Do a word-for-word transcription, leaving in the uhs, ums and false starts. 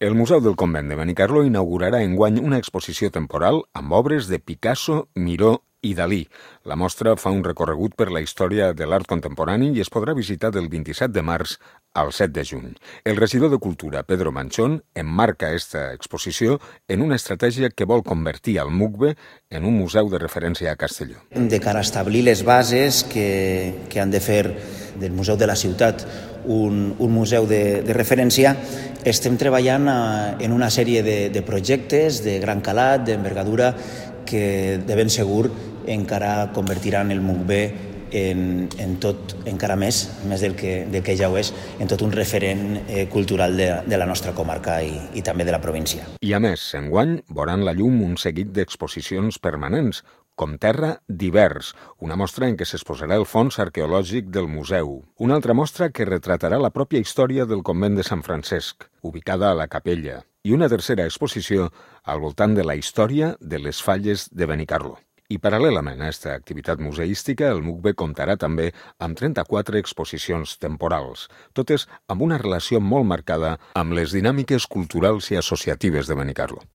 El Museu del Convent de Benicarló inaugurarà enguany una exposició temporal amb obres de Picasso, Miró i Dalí. La mostra fa un recorregut per la història de l'art contemporani i es podrà visitar del vint-i-set de març al set de juny. El regidor de Cultura, Pedro Manchón, emmarca aquesta exposició en una estratègia que vol convertir el MUCBE en un museu de referència a Castelló. De cara a establir les bases que, que han de fer del Museu de la Ciutat un, un museu de, de referència, estem treballant a, en una sèrie de, de projectes de gran calat, d'envergadura, que de ben segur encara convertiran el MUCBE en, en tot, encara més, més del que, del que ja ho és, en tot un referent eh, cultural de, de la nostra comarca i, i també de la província. I a més, enguany veuran la llum un seguit d'exposicions permanents, com Terra d'Hivers, una mostra en què s'exposarà el fons arqueològic del museu. Una altra mostra que retratarà la pròpia història del convent de Sant Francesc, ubicada a la Capella, i una tercera exposició al voltant de la història de les falles de Benicarló. I paral·lelament a aquesta activitat museística, el MUCBE comptarà també amb trenta-quatre exposicions temporals, totes amb una relació molt marcada amb les dinàmiques culturals i associatives de Benicarló.